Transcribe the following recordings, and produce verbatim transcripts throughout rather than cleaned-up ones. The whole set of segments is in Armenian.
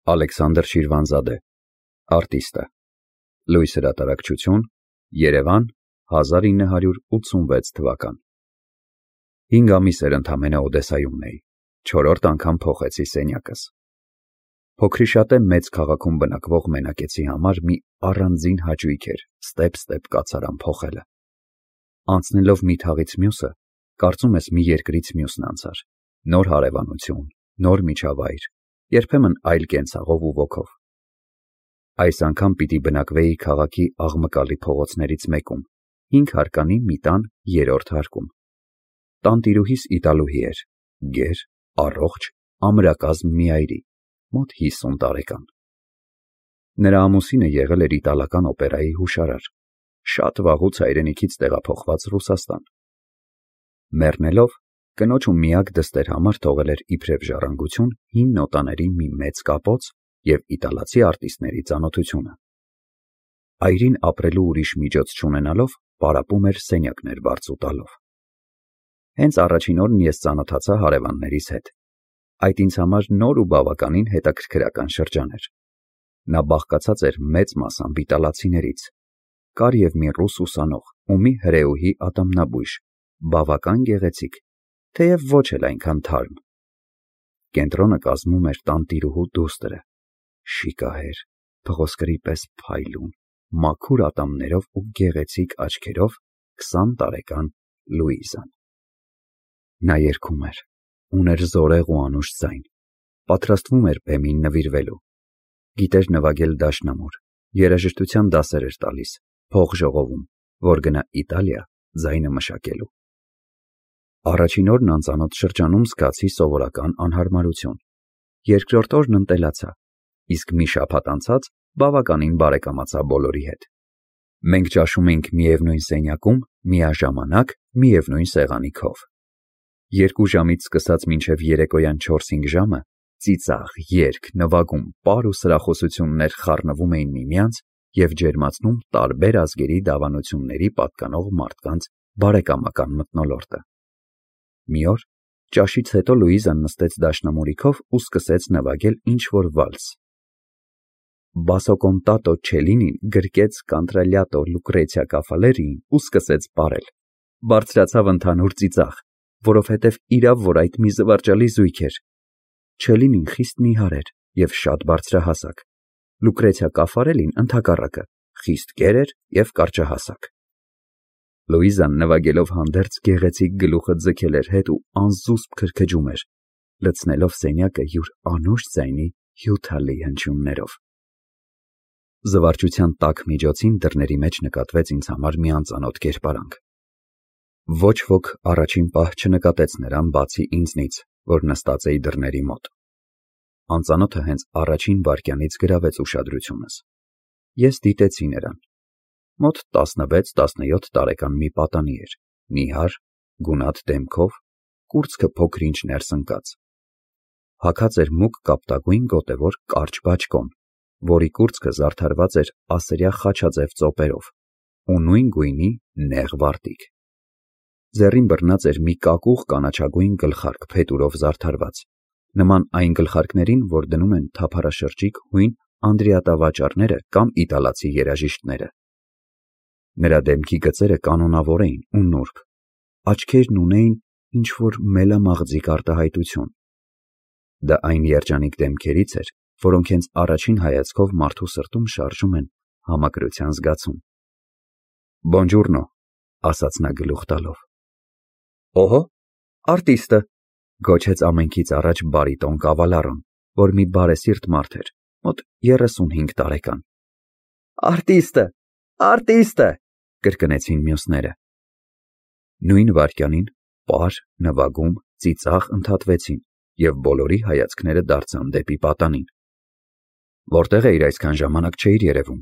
Ալեքսանդր Շիրվանզադե, արտիստը, Լույս հրատարակչություն, Երևան, հազար ինը հարյուր ութսունվեց թվական։ Հինգ ամիս էր ընդամենը Օդեսայումն էի, չորրորդ անգամ փոխեցի սենյակս։ Փոքրիշատե մեծ քաղաքում բնակվող մենակեցի համար մի առանձին հաճույք էր ստեպ-ստեպ կացարան փոխելը։ Անցնելով մի թաղից մյուսը, կարծում ես մի երկրից մյուսն անցար, նոր հարևանություն, նոր միջավայր, երբեմն այլ կենցաղով ու ոգով։ Այս անգամ պիտի բնակվեի քաղաքի աղմկալի փողոցներից մեկում, հինգ հարկանի մի տան երրորդ հարկում։ Տանտիրուհիս իտալուհի էր, գեր, առողջ, ամրակազմ մի այրի, մոտ հիսուն տարեկան։ Նրա ամուսինը եղել էր իտալական օպերայի հուշարար, շատ վաղուց հայրենիքից տեղափոխված Ռուսաստան։ Մեռնելով, կնոջ ու միակ դստեր համար թողել էր իբրև ժառանգություն հին նոտաների մի մեծ կապոց և իտալացի արտիստների ծանոթությունը։ Այրին ապրելու ուրիշ միջոց չունենալով, պարապում էր սենյակներ բարձ ու տալով։ Հենց առաջին օրն ես ծանոթացա հարևաններիս հետ։ Այդ ինձ համար նոր ու բավականին հետաքրքրական շրջան էր։ Նա բաղկացած էր մեծ մասամբ իտալացիներից։ Կար և մի ռուս ուսանող ու մի հրեուհի ատամնաբույժ, բավական գեղեցիկ, թեև ոչ էլ այնքան թարմ։ Կենտրոնը կազմում էր տանտիրուհու դուստրը, շիկահեր, փղոսկրի պես փայլուն, մաքուր ատամներով ու գեղեցիկ աչքերով քսան տարեկան Լուիզան։ Նա երգում էր, ուներ զորեղ ու անուշ ձայն, պատրաստվում էր բեմին նվիրվելու։ Գիտեր նվագել դաշնամուր, երաժշտության դասեր էր տալիս, փող ժողովում, որ գնա Իտալիա ձայնը մշակելու։ Առաջին օրն անծանոթ շրջանում զգացի սովորական անհարմարություն, երկրորդ օրն ընտելացա, իսկ մի շաբաթ անցած բավականին բարեկամացա բոլորի հետ։ Մենք ճաշում էինք միևնույն սենյակում, միաժամանակ, միևնույն սեղանի քով։ Երկու ժամից սկսած մինչև երեկոյան չորս-հինգ ժամը ծիծաղ, երգ, նվագում, պար ու սրախոսություններ խառնվում էին միմյանց և ջերմացնում տարբեր ազգերի դավանությունների պատկանող մարդկանց բարեկամական մթնոլորտը։ Մի օր ճաշից հետո Լուիզան նստեց դաշնամուրի քով ու սկսեց նվագել ինչ-որ վալս։ Բասո կոնտատո Չելինին գրկեց կանտրալյատո Լուկրեցիա Կաֆալերիին ու սկսեց պարել։ Բարձրացավ ընդհանուր ծիծաղ, որովհետև իրավ որ այդ մի զվարճալի զույգ էր։ Չելինին խիստ նիհար էր և շատ բարձրահասակ, Լուկրեցիա Կաֆարելին ընդհակառակը, խիստ կեր էր և կարճահասակ։ Լուիզան նվագելով հանդերձ գեղեցիկ գլուխը ձգել էր հետ ու անզուսպ քրքջում էր, լցնելով սենյակը յուր անուշ ձայնի հյութալի հնչյուններով։ Զվարճության տաք միջոցին դռների մեջ նկատվեց ինձ համար մի անծանոթ կերպարանք։ Ոչ ոք առաջին պահ չնկատեց նրան բացի ինձնից, որ նստած էի դռների մոտ։ Անծանոթը հենց առաջին վայրկյանից գրավեց ուշադրությունս։ Ես դիտեցի նրան։ Մոտ տասնվեց-տասնյոթ տարեկան մի պատանի էր, նիհար, գունատ դեմքով, կուրծքը փոքր-ինչ ներս ընկած։ Հագած էր մուգ կապտագույն գոտևոր կարճ բաճկոն, որի կուրծքը զարդարված էր ասրյա խաչաձև ծոպերով ու նույն գույնի նեղ վարտիք։ Ձեռին բռնած էր մի կակուղ կանաչագույն գլխարկ փետուրով զարդարված, նման այն գլխարկներին, որ դնում են թափառաշրջիկ հույն անդրիատավաճառները կամ իտալացի երաժիշտները։ Նրա դեմքի գծերը կանոնավոր էին ու նուրբ, աչքերն ունեին ինչ-որ մելամաղձիկ արտահայտություն։ Դա այն երջանիկ դեմքերից էր, որոնք հենց առաջին հայացքով մարդու սրտում շարժում են համակրության զգացում։ Բոնջուրնո, ասաց նա գլուխ տալով։ Օհո, արտիստը, գոչեց ամենքից առաջ բարիտոն կավալառոն, որ մի բարեսիրտ մարդ էր, մոտ երեսունհինգ տարեկան։ Արտիստը, արտիստը, կրկնեցին մյուսները։ Նույն վայրկյանին պար, նվագում, ծիծաղ ընդհատվեցին և բոլորի հայացքները դարձան դեպի պատանին։ Որտեղ էիր այսքան ժամանակ չէիր երևում,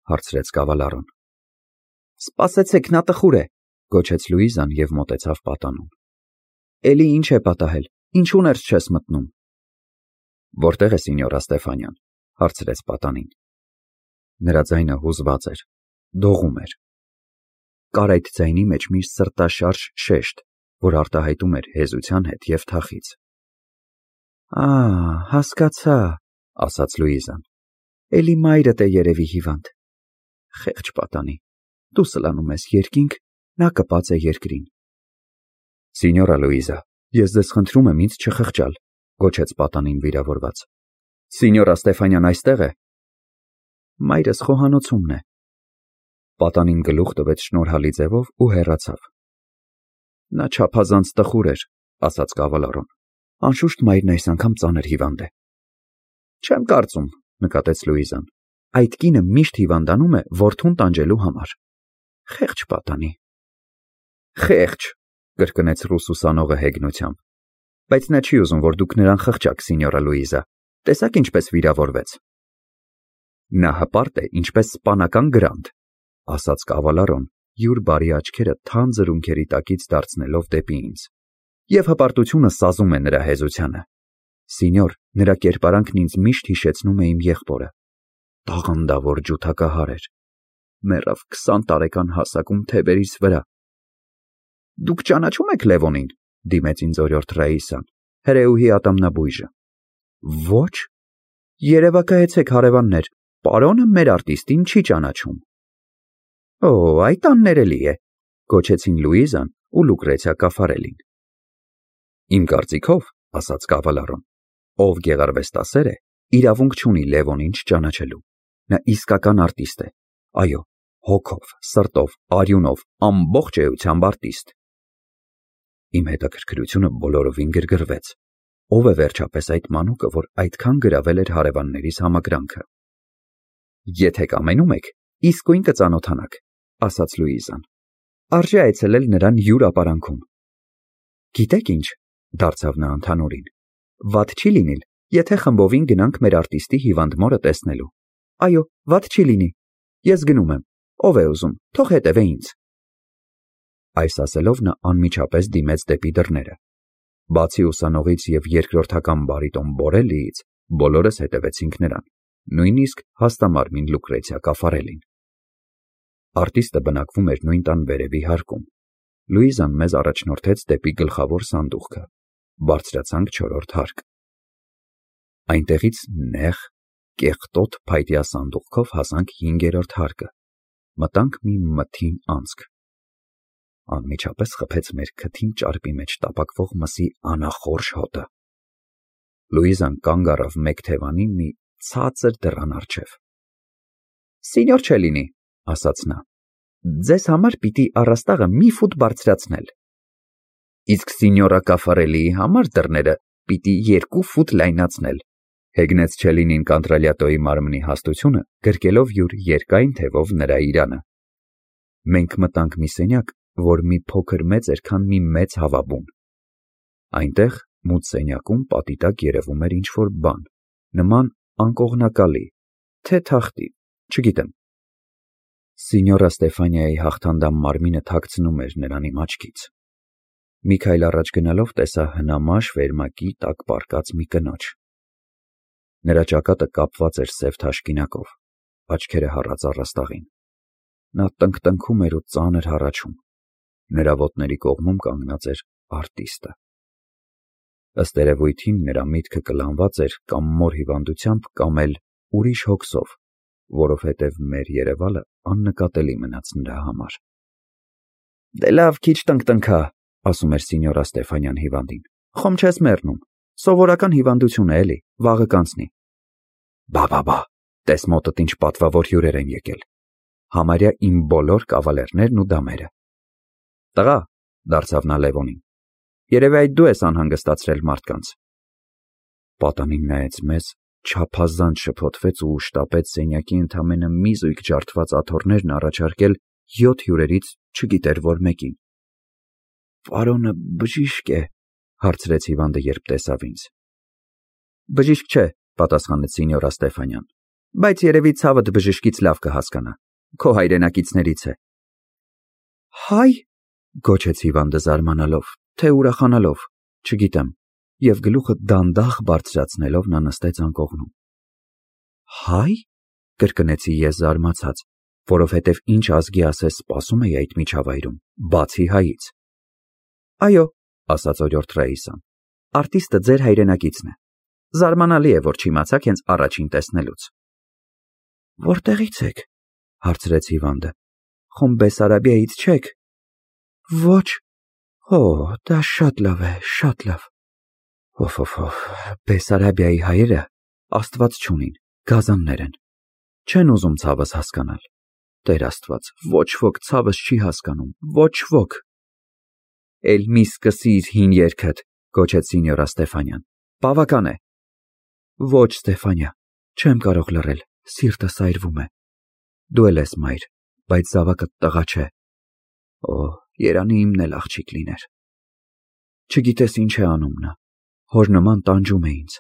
հարցրեց կավալառոն։ Սպասեցեք, նա տխուր է, գոչեց Լուիզան և մոտեցավ պատանուն։ Էլի ինչ է պատահել, ինչու ներս չես մտնում։ Որտեղ է սինյորա Ստեֆանյան, հարցրեց պատանին։ Նրա ձայնը հուզված էր, դողում էր։ Կար այդ ձայնի մեջ մի սրտաշարժ շեշտ, որ արտահայտում էր հեզության հետ և թախիծ։ Ա, հասկացա, ասաց Լուիզան։ Էլի մայրդ է երևի հիվանդ։ Խեղճ պատանի, դու սլանում ես երկինք, նա կպած է երկրին։ Սինյորա Լուիզա, ես ձեզ խնդրում եմ ինձ չխղճալ, գոչեց պատանին վիրավորված։ Սինյորա Ստեֆանյան այստեղ է։ Մայրս խոհանոցումն է։ Պատանին գլուխ տվեց շնորհալի ձևով ու հեռացավ։ Նա չափազանց տխուր էր, ասաց կավալարոն։ Անշուշտ մայրն այս անգամ ծանր հիվանդ է։ Չեմ կարծում, նկատեց Լուիզան։ Այդ կինը միշտ հիվանդանում է որդուն տանջելու համար։ Խեղճ պատանի։ Խեղճ, կրկնեց ռուսուսանողը հեգնությամբ։ Բայց նա չի ուզում, որ դուք նրան խղճաք, սինյորա Լուիզա։ Տեսաք ինչպես վիրավորվեց։ Նա հպարտ է, ինչպես սպանական գրանդ, ասաց կավալարոն, յուր բարի աչքերը թանձր ունքերի տակից դարձնելով դեպի ինձ։ Եվ հպարտությունը սազում է նրա հեզությանը։ Սինյոր, նրա կերպարանքն ինձ միշտ հիշեցնում է իմ եղբորը։ Տաղանդավոր ջութակահար էր։ Մեռավ քսան տարեկան հասակում թևերիս վրա։ Դուք ճանաչում եք Լևոնին, դիմեց ինձ օրիորդ Ռաիսան, հրեուհի ատամնաբույժը։ Ոչ։ Երևակայեցեք հարևաններ, պարոնը մեր արտիստին չի ճանաչում։ Օ, այդ աններելի է, գոչեցին Լուիզան ու Լուկրեցիա Կաֆարելին։ Իմ կարծիքով, ասաց կավալարոն, ով գեղարվեստասեր է, իրավունք չունի Լևոնին չճանաչելու։ Նա իսկական արտիստ է։ Այո, հոգով, սրտով, արյունով, ամբողջ էությամբ արտիստ։ Իմ հետաքրքրությունը բոլորովին գրգռվեց։ Ով է վերջապես այդ մանուկը, որ այդքան գրավել էր հարևաններիս համակրանքը։ Եթե կամենում եք, իսկույն կծանոթանաք, ասաց Լուիզան։ Արժե այցելել նրան յուր ապարանքում։ Գիտեք ինչ, դարձավ նա ընդհանուրին։ Վատ չի լինիլ, եթե խմբովին գնանք մեր արտիստի հիվանդ մորը տեսնելու։ Այո, վատ չի լինի։ Ես գնում եմ։ Ով է ուզում, թող հետևե ինձ։ Այս ասելով նա անմիջապես դիմեց դեպի դռները։ Բացի ուսանողից և երկրորդական բարիտոն Բորելիից, բոլորս հետևեցինք նրան, նույնիսկ հաստամարմին Լուկրեցիա Կաֆարելին։ Արտիստը բնակվում էր նույն տան վերևի հարկում։ Լուիզան մեզ առաջնորդեց դեպի գլխավոր սանդուղքը։ Բարձրացանք չորրորդ հարկ։ Այնտեղից նեղ, կեղտոտ փայտյա սանդուղքով հասանք հինգերորդ հարկը։ Մտանք մի մթին անցք։ Անմիջապես խփեց մեր քթին ճարպի մեջ տապակվող մսի անախորժ հոտը։ Լուիզան կանգ առավ մեկ թևանին մի ցածր դռան առջև։ Սինյոր Չելինի, ասաց նա, ձեզ համար պիտի առաստաղը մի ֆուտ բարձրացնել։ Իսկ սինյորա Կաֆարելիի համար դռները պիտի երկու ֆուտ լայնացնել, հեգնեց Չելինին Կանտրալյատոյի մարմնի հաստությունը, գրկելով յուր երկայն թևով նրա իրանը։ Մենք մտանք մի սենյակ, որ մի փոքր մեծ էր, քան մի մեծ հավաբուն։ Այնտեղ մութ սենյակում պատի տակ երևում էր ինչ-որ բան, նման անկողնակալի, թե թախտի, չգիտեմ։ Սինյորա Ստեֆանիայի հաղթանդամ մարմինը թաքցնում էր նրան իմ աչքից։ Մի քայլ առաջ գնալով տեսա հնամաշ վերմակի տակ պառկած մի կնոջ։ Նրա ճակատը կապված էր սև թաշկինակով, աչքերը հառած առաստաղին։ Նա տնկտնքում էր ու ծանր հառաչում։ Նրա ոտների կողմում կանգնած էր արտիստը։ Ըստ երևույթին նրա միտքը կլանված էր կամ մոր հիվանդությամբ, կամ էլ ուրիշ հոգսով, որովհետև մեր երևալը աննկատելի մնաց նրա համար։ Դե լավ, քիչ տնկտնքա, ասում էր սինյորա Ստեֆանյան հիվանդին։ Խոմ չես մեռնում։ Սովորական հիվանդություն է էլի, վաղը կանցնի։ Բա բա բա, տես մոտդ ինչ պատվավոր հյուրեր են եկել։ Համարյա իմ բոլոր կավալերներն ու դամերը։ Տղա, դարձավ նա Լևոնին, երևի այդ դու ես անհանգստացրել մարդկանց։ Պատանին նայեց մեզ, չափազանց շփոթվեց ու շտապեց սենյակի ընդամենը մի զույգ ջարդված աթոռներն առաջարկել յոթ հյուրերից չգիտեր որ մեկին։ Պարոնը բժիշկ է, հարցրեց հիվանդը, երբ տեսավ ինձ։ Բժիշկ չէ, պատասխանեց սինյորա Ստեֆանյան, բայց երևի ցավդ բժշկից լավ կհասկանա, քո հայրենակիցներից է։ Հայ, գոչեց հիվանդը զարմանալով, թե ուրախանալով, չգիտեմ, և գլուխը դանդաղ բարձրացնելով նա նստեց անկողնում։ Հայ, կրկնեցի ես զարմացած, որովհետև ինչ ազգի ասես սպասում էի այդ միջավայրում, բացի հայից։ Այո, ասաց օրիորդ Ռաիսան, արտիստը ձեր հայրենակիցն է։ Զարմանալի է, որ չիմացաք հենց առաջին տեսնելուց։ Որտեղից եք, հարցրեց Հիվանդը։ Խոմ Բեսարաբիայից չեք։ Ոչ։ Օ, դա շատ լավ է, շատ լավ։ Օֆ-օֆ-օֆ, Բեսարաբիայի հայերը Աստված չունին, գազաններ են։ Չեն ուզում ցավս հասկանալ։ Տեր Աստված, ոչ ոք ցավս չի հասկանում, ոչ ոք։ Էլ մի սկսիր հին երգդ, գոչեց Սինյորա Ստեֆանյան։ Բավական է։ Ոչ, Ստեֆանիա, չեմ կարող լռել, սիրտս այրվում է։ Դու էլ ես մայր, բայց զավակդ տղա չէ։ Օ, երանի իմն էլ աղջիկ լիներ։ Չգիտես ինչ է անում նա, հոր նման տանջում է ինձ։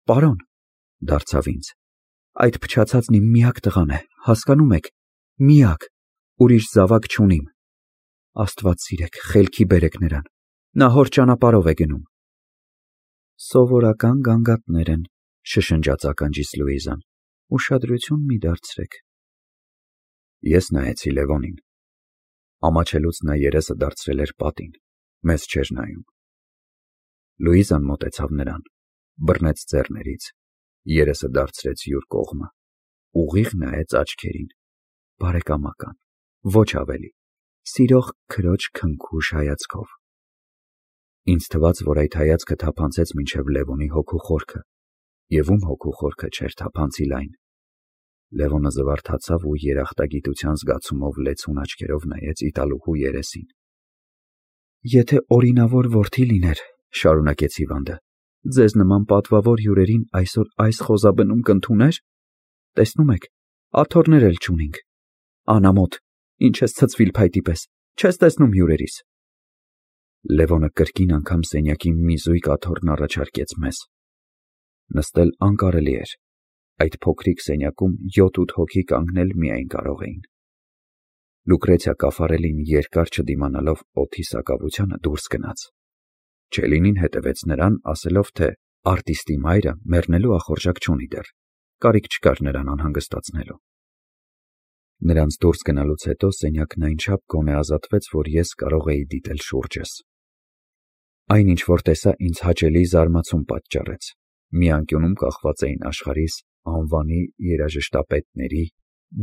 Պարոն, դարձավ ինձ, այդ փչացածն իմ միակ տղան է, հասկանում եք, միակ, ուրիշ զավակ չունիմ։ Աստված սիրեք, խելքի բերեք նրան, նա հոր ճանապարհով է գնում։ Սովորական գանգատներ են, շշնջաց ականջիս Լուիզան, ուշադրություն մի դարձրեք։ Ես նայեցի Լևոնին։ Ամաչելուց նա երեսը դարձրել էր պատին, մեզ չէր նայում։ Լուիզան մոտեցավ նրան, բռնեց ձեռներից, երեսը դարձրեց յուր կողմը, ուղիղ նայեց աչքերին, բարեկամական, ոչ ավելի, սիրող քրոջ քնքուշ հայացքով։ Ինձ թվաց, որ այդ հայացքը թափանցեց մինչև Լևոնի հոգու խորքը, և ում հոգու խորքը չէր թափանցի լայն։ Լևոնը զվարթացավ ու երախտագիտության զգացումով լեցուն աչքերով նայեց իտալուհու երեսին։ Եթե օրինավոր որդի լիներ, շարունակեց Հիվանդը, ձեզ նման պատվավոր հյուրերին այսօր այս խոզաբնում կընդուներ։ Տեսնում եք, աթոռներ էլ չունինք։ Անամոթ, ինչ ես ցցվիլ փայտի պես, չես տեսնում հյուրերիս։ Լևոնը կրկին անգամ սենյակի մի զույգ աթոռն առաջարկեց մեզ։ Նստել անկարելի էր։ Այդ փոքրիկ սենյակում յոթ-ութ հոգի կանգնել միայն կարող էին։ Լուկրեցիա Կաֆարելին երկար չդիմանալով օդի սակավությանը դուրս գնաց։ Չելինին հետևեց նրան, ասելով, թե արտիստի մայրը մեռնելու ախորժակ չունի դեռ, կարիք չկար նրան անհանգստացնելու։ Նրանց դուրս գնալուց հետո սենյակն այնչափ գոնե ազատվեց, որ ես կարող էի դիտել շուրջս։ Այն, ինչ որ տեսա, ինձ հաճելի զարմացում պատճառեց։ Մի անկյունում կախված էին աշխարհիս անվանի երաժշտապետների,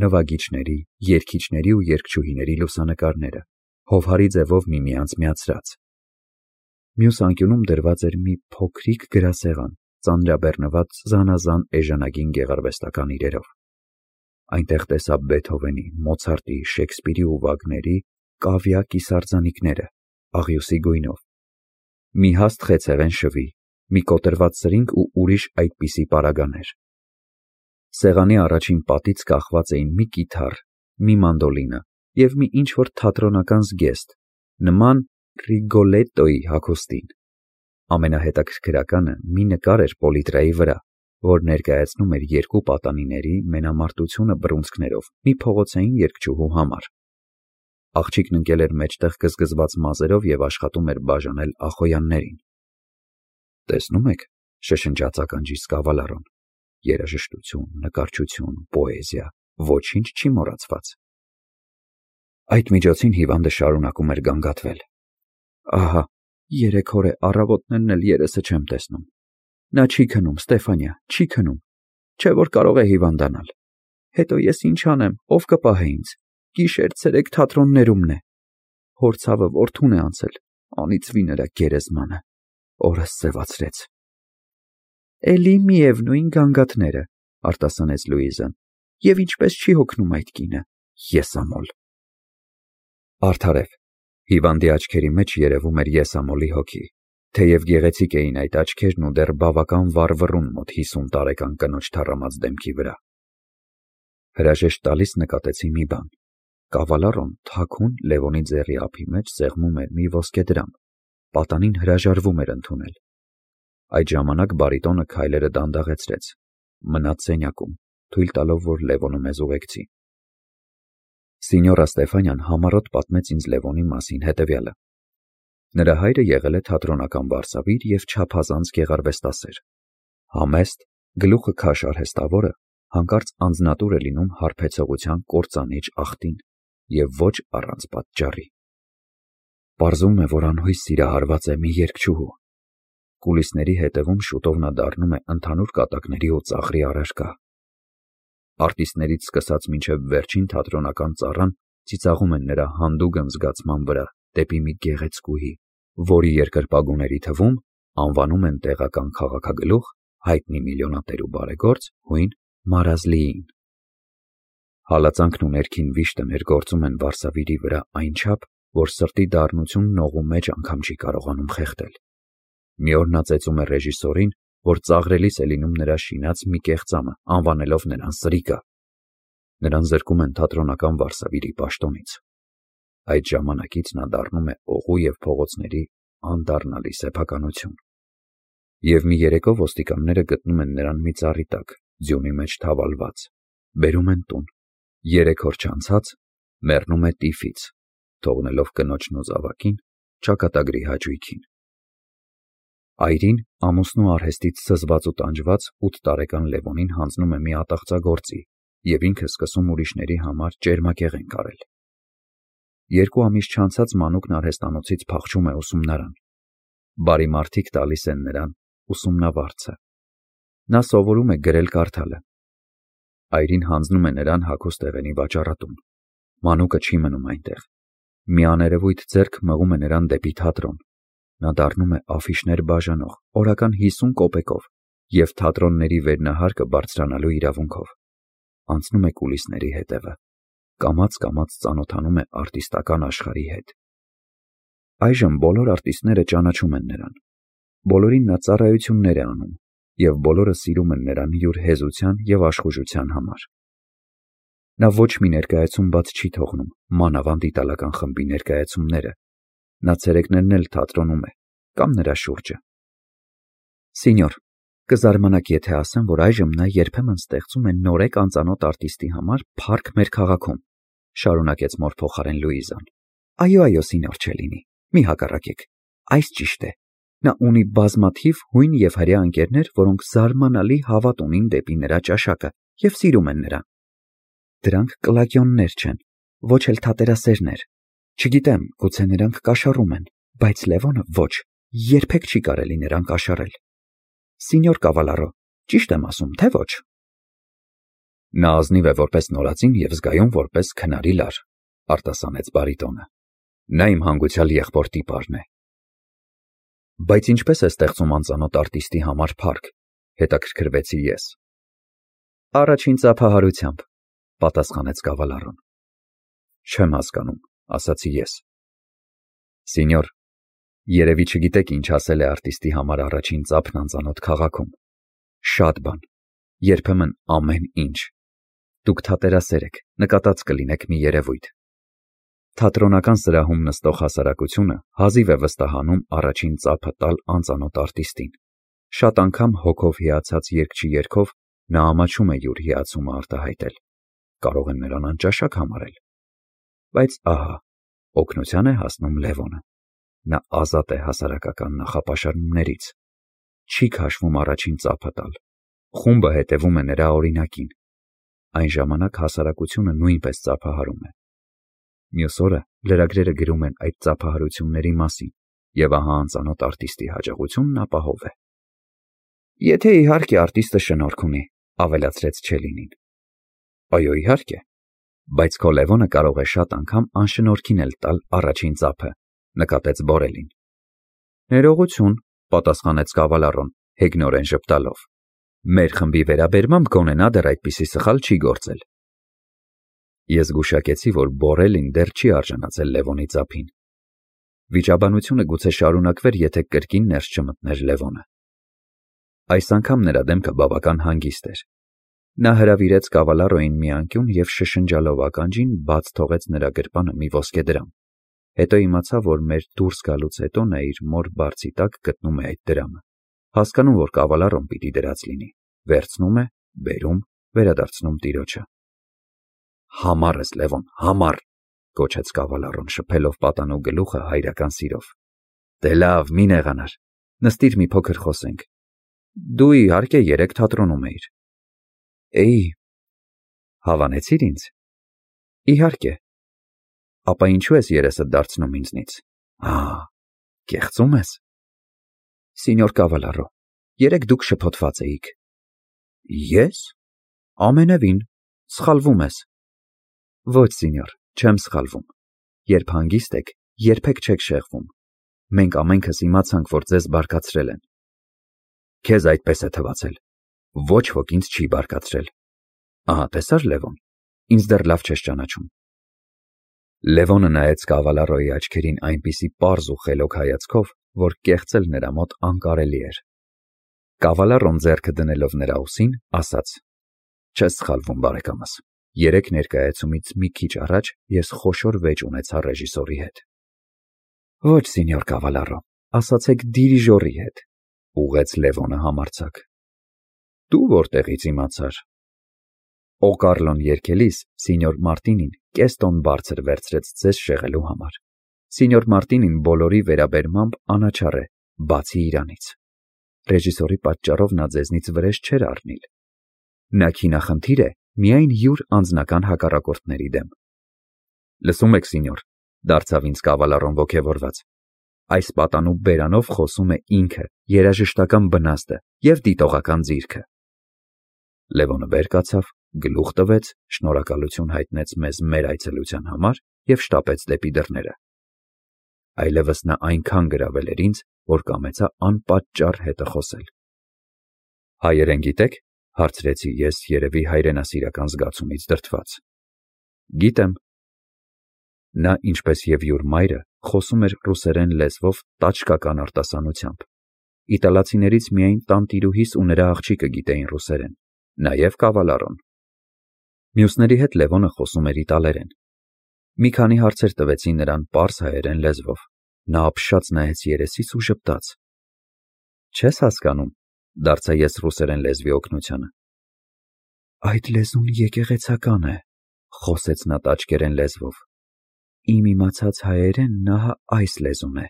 նվագիչների, երգիչների ու երգչուհիների լուսանկարները, հովհարի ձևով միմյանց միացրած։ Մյուս անկյունում դրված էր մի փոքրիկ գրասեղան, ծանրաբեռնված զանազան էժանագին գեղարվեստական իրերով։ Այնտեղ տեսա Բեթհովենի, Մոցարտի, Շեքսպիրի ու Վագների կավիա կիսարձանիկները, աղյուսի գույնով, մի հաստ խեցեղեն շվի, մի կոտրված սրինգ ու ուրիշ այդպիսի պարագաներ։ Սեղանի առաջին պատից կախված էին մի կիթառ, մի մանդոլինը և մի ինչ-որ թատրոնական զգեստ, նման Ռիգոլետտոյի հագուստին։ Ամենահետաքրքրականը մի նկար էր պոլիտրայի վրա, որ ներկայացնում էր երկու պատանիների մենամարտությունը բռունցքներով մի փողոցային երգչուհու համար։ Աղջիկն ընկել էր մեջտեղ գզգզված մազերով և աշխատում էր բաժանել ախոյաններին։ Տեսնում եք, շշնջաց ականջիս Կավալարոն, երաժշտություն, նկարչություն, պոեզիա, ոչինչ չի մոռացված։ Այդ միջոցին Հիվանդը շարունակում էր գանգատվել։ Ահա, երեք օր է առավոտներն էլ երեսը չեմ տեսնում։ Նա չի քնում, Ստեֆանիա, չի քնում, չէ որ կարող է հիվանդանալ։ Հետո ես ինչ անեմ, ով կպահե ինձ, գիշեր-ցերեկ թատրոններումն է։ Հոր ցավը որդուն է անցել, անիծվի նրա գերեզմանը, օրս սևացրեց։ Էլի միևնույն գանգատները, արտասանեց Լուիզան, և ինչպես չի հոգնում այդ կինը, եսամոլ։ Արդարև, Հիվանդի աչքերի մեջ երևում էր եսամոլի հոգի, թեև գեղեցիկ էին այդ աչքերն ու դեռ բավական վառվռուն մոտ հիսուն տարեկան կնոջ թառամած դեմքի վրա։ Հրաժեշտ տալիս նկատեցի մի բան. Կավալարոն թաքուն Լևոնի ձեռի ափի մեջ սեղմում էր մի ոսկեդրամ, պատանին հրաժարվում էր ընդունել։ Այդ ժամանակ բարիտոնը քայլերը դանդաղեցրեց, մնաց սենյակում, թույլ տալով, որ Լևոնը մեզ ուղեկցի։ Սինյորա Ստեֆանյան համառոտ պատմեց ինձ Լևոնի մասին հետևյալը. Նրա հայրը եղել է թատրոնական վարսավիր և չափազանց գեղարվեստասեր։ Համեստ, գլուխը քաշ արհեստավորը հանկարծ անձնատուր է լինում հարբեցողության կործանիչ աղտին և ոչ առանց պատճառի։ Պարզվում է, որ անհույս սիրահարված է մի երգչուհու։ Կուլիսների հետևում շուտով նա դառնում է ընդհանուր կատակների ու ծաղրի առարկա։ Արտիստներից սկսած մինչև վերջին թատրոնական ծառան ծիծաղում են նրա հանդուգն զգացման վրա դեպի մի գեղեցկուհի, որի երկրպագուների թվում անվանում են տեղական քաղաքագլուխ, հայտնի միլիոնատեր ու բարեգործ հույն Մարազլիին։ Հալածանքն ու ներքին վիշտը ներգործում են Վարսավիրի վրա այնչափ, որ սրտի դառնությունն օղու մեջ անգամ չի կարողանում խեղդել։ Մի օր նա ծեծում է ռեժիսորին, որ ծաղրելիս է լինում նրա շինած մի կեղծամը, անվանելով նրան սրիկա։ Նրան զրկում են թատրոնական Վարսավիրի պաշտոնից։ Այդ ժամանակից նա դառնում է օղու և փողոցների անդառնալի սեփականություն։ Եվ մի երեկո ոստիկանները գտնում են նրան մի ծառի տակ, ձյունի մեջ թավալված, բերում են տուն, երեք օր չանցած մեռնում է տիֆից, թողնելով կնոջն ու զավակին ճակատագրի հաճույքին։ Այրին ամուսնու արհեստից զզված ու տանջված ութ տարեկան Լևոնին հանձնում է մի ատաղծագործի և ինքը սկսում ուրիշների համար ճերմակեղեն կարել։ Երկու ամիս չանցած մանուկն արհեստանոցից փախչում է ուսումնարան։ Բարի մարդիկ տալիս են նրան ուսումնավարձը։ Նա սովորում է գրել-կարդալը։ Այրին հանձնում է նրան հագուստեղենի վաճառատուն։ Մանուկը չի մնում այնտեղ։ Մի աներևույթ ձեռք մղում է նրան դեպի թատրոն։ Նա դառնում է աֆիշներ բաժանող, օրական հիսուն կոպեկով և թատրոնների վերնահարկը բարձրանալու իրավունքով։ Անցնում է կուլիսների հետևը։ Կամաց-կամաց ծանոթանում է արտիստական աշխարհի հետ։ Այժմ բոլոր արտիստները ճանաչում են նրան։ Բոլորին նա ծառայություններ է անում, և բոլորը սիրում են նրան յուր հեզության և աշխուժության համար։ Նա ոչ մի ներկայացում բաց չի թողնում, մանավանդ իտալական խմբի ներկայացումները։ Նա ցերեկներն էլ թատրոնում է կամ նրա շուրջը։ Սինյոր, կզարմանաք, եթե ասեմ, որ այժմ նա երբեմն ստեղծում է նորեկ անծանոթ արտիստի համար փառք մեր քաղաքում, շարունակեց մոր փոխարեն Լուիզան։ Այո, այո, սինյոր Չելլինի, մի հակառակեք, այս ճիշտ է։ Նա ունի բազմաթիվ հույն և հրեա ընկերներ, որոնք զարմանալի հավատ ունին դեպի նրա ճաշակը և սիրում են նրան։ Դրանք կլակիոններ չեն, ոչ էլ թատերասերներ։ Չգիտեմ, գուցե նրանք կաշառում են, բայց Լևոնը ոչ, երբեք չի կարելի նրան կաշառել։ Սինյոր Կավալարո, ճիշտ եմ ասում, թե ոչ։ Նա ազնիվ է որպես նորածին և զգայուն որպես քնարի լար, արտասանեց բարիտոնը։ Նա իմ հանգուցյալ եղբոր տիպարն է։ Բայց ինչպես է ստեղծում անծանոթ արտիստի համար փառք, հետաքրքրվեցի ես։ Առաջին ծափահարությամբ, պատասխանեց Կավալարոն։ Չեմ հասկանում, ասացի ես։ Սինյոր, երևի չգիտեք ինչ ասել է արտիստի համար առաջին ծափն անծանոթ քաղաքում։ Շատ բան, երբեմն ամեն ինչ։ Դուք թատերասեր եք, նկատած կլինեք մի երևույթ։ Թատրոնական սրահում նստող հասարակությունը հազիվ է վստահանում առաջին ծափը տալ անծանոթ արտիստին։ Շատ անգամ հոգով հիացած երգչի երգով նա ամաչում է յուր հիացումը արտահայտել։ Կարող են նրան անճաշակ համարել։ Բայց ահա, օգնության է հասնում Լևոնը։ Նա ազատ է հասարակական նախապաշարումներից։ Չի քաշվում առաջին ծափը տալ։ Խումբը հետևում է նրա օրինակին։ Այն ժամանակ հասարակությունը նույնպես ծափահարում է։ Մյուս օրը լրագրերը գրում են այդ ծափահարությունների մասին, և ահա անծանոթ արտիստի հաջողությունն ապահով է։ Եթե իհարկե արտիստը շնորհք ունի, ավելացրեց Չելլինին։ Այո, իհարկե, բայց քո Լևոնը կարող է շատ անգամ անշնորհքին էլ տալ առաջին ծափը, նկատեց Բորելին։ Ներողություն, պատասխանեց Կավալարոն, հեգնորեն ժպտալով։ Մեր խմբի վերաբերմամբ գոնե նա դեռ այդպիսի սխալ չի գործել։ Ես զգուշակեցի, որ Բորելին դեռ չի արժանացել Լևոնի ծափին։ Վիճաբանությունը գուցե շարունակվեր, եթե կրկին ներս չմտներ Լևոնը։ Այս անգամ նրա դեմքը բավական հանգիստ էր։ Նա հրավիրեց Կավալարոին մի անկյուն և շշնջալով ականջին բաց թողեց նրա գրպանը մի ոսկեդրամ։ Հետո իմացա, որ մեր դուրս գալուց հետո նա իր մոր բարձի տակ գտնում է այդ դրամը։ Հասկանում, որ Կավալարոն պիտի դրած լինի, վերցնում է, բերում, վերադարձնում տիրոջը։ Համառ ես, Լևոն, համառ, գոչեց Կավալարոն, շփելով պատանու գլուխը հայրական սիրով։ Դե լավ, մի նեղանար, նստիր մի փոքր խոսենք։ Դու իհարկե երեկ թատրոնում էիր։ Էի։ Հավանեցի՞ր ինձ։ Իհարկե։ Ապա ինչու ես երեսդ դարձնում ինձնից։ Ահ, կեղծում ես։ Սինյոր Կավալարո, երեկ դուք շփոթված էիք։ Ես։ Ամենևին, սխալվում ես։ Ոչ, սինյոր, չեմ սխալվում։ Երբ հանգիստ եք, երբեք չեք շեղվում։ Մենք ամենքս իմացանք, որ ձեզ բարկացրել են։ Քեզ այդպես է թվացել։ Ոչ ոք ինձ չի բարկացրել։ Ահա, տեսա՞ր, Լևոն, ինձ դեռ լավ չես ճանաչում։ Լևոնը նայեց Կավալարոյի աչքերին այնպիսի պարզ ու խելոք հայացքով, որ կեղծել նրա մոտ անկարելի էր։ Կավալարոն ձեռքը դնելով նրա ուսին, ասաց. Չես սխալվում, բարեկամս։ Երեք ներկայացումից մի քիչ առաջ ես խոշոր վեճ ունեցա ռեժիսորի հետ։ Ոչ, սինյոր Կավալարո, ասացեք դիրիժորի հետ, ուղղեց Լևոնը համարձակ։ Դու որտեղից իմացար։ Օկարլոն երգելիս սինյոր Մարտինին կես տոն բարձր վերցրեց ձեզ շեղելու համար։ Սինյոր Մարտինին բոլորի վերաբերմամբ անաչառ է, բացի իրանից։ Ռեժիսորի պատճառով նա ձեզնից վրեժ չէր առնիլ։ Նա քինախնդիր է միայն յուր անձնական հակառակորդների դեմ։ Լսում եք, սինյոր, դարձավ ինձ Կավալարոն ոգևորված։ Այս պատանու բերանով խոսում է ինքը, երաժշտական բնաստը և դիտողական ձիրքը։ Լևոնը վեր կացավ, գլուխ տվեց, շնորհակալություն հայտնեց մեզ մեր այցելության համար և շտապեց դեպի դռները։ Այլևս նա այնքան գրավել էր ինձ, որ կամեցա անպատճառ հետը խոսել։ Հայերեն գիտեք, հարցրեցի ես երևի հայրենասիրական զգացումից դրդված։ Գիտեմ։ Նա, ինչպես և յուր մայրը, խոսում էր ռուսերեն լեզվով տաճկական արտասանությամբ։ Իտալացիներից միայն տանտիրուհիս ու նրա աղջիկը գիտեին ռուսերեն, նաև Կավալարոն։ Մյուսների հետ Լևոնը խոսում էր իտալերեն։ Մի քանի հարցեր տվեցի նրան պարզ հայերեն լեզվով։ Նա ապշած նայեց երեսիս ու ժպտաց։ Չես հասկանում, դարձա ես ռուսերեն լեզվի օգնությանը։ Այդ լեզուն եկեղեցական է, խոսեց նա տաճկերեն լեզվով։ Իմ իմացած հայերենն ահա այս լեզուն է։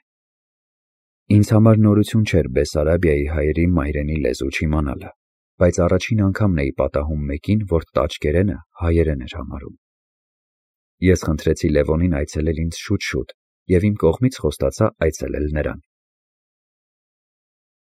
Ինձ համար նորություն չէր Բեսարաբիայի հայերի մայրենի լեզու չիմանալը, բայց առաջին անգամն էի պատահում մեկին, որ տաճկերենը հայերեն էր համարում։ Ես խնդրեցի Լևոնին այցելել ինձ շուտ-շուտ և իմ կողմից խոստացա այցելել նրան։